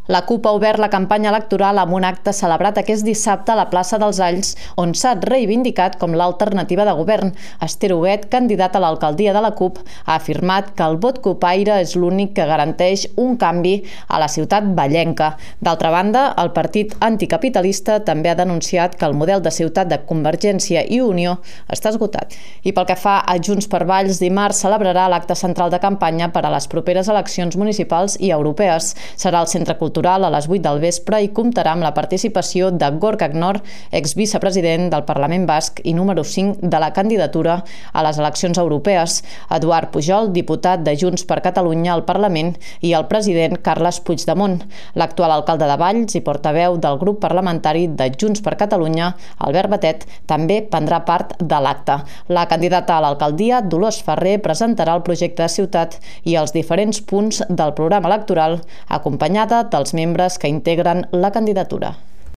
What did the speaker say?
La CUP ha obert la campanya electoral amb un acte celebrat aquest dissabte a la plaça dels Alls, on s'ha reivindicat com l'alternativa de govern. Esther Huguet, candidat a l'alcaldia de la CUP, ha afirmat que el vot cupaire és l'únic que garanteix un canvi a la ciutat vallenca. D'altra banda, el partit anticapitalista també ha denunciat que el model de ciutat de Convergència i Unió està esgotat. I pel que fa a Junts per Valls, dimarts celebrarà l'acte central de campanya per a les properes eleccions municipals i europees. Serà al Centre Cultural a les 8 del vespre i comptarà amb la participació de Gorka Knor, exvicepresident del Parlament Basc i número 5 de la candidatura a les eleccions europees, Eduard Pujol, diputat de Junts per Catalunya al Parlament, i el president Carles Puigdemont. L'actual alcalde de Valls i portaveu del grup parlamentari de Junts per Catalunya, Albert Batet, també prendrà part de l'acte. La candidata a l'alcaldia, Dolors Ferrer, presentarà el projecte de ciutat i els diferents punts del programa electoral, acompanyada dels membres que integren la candidatura.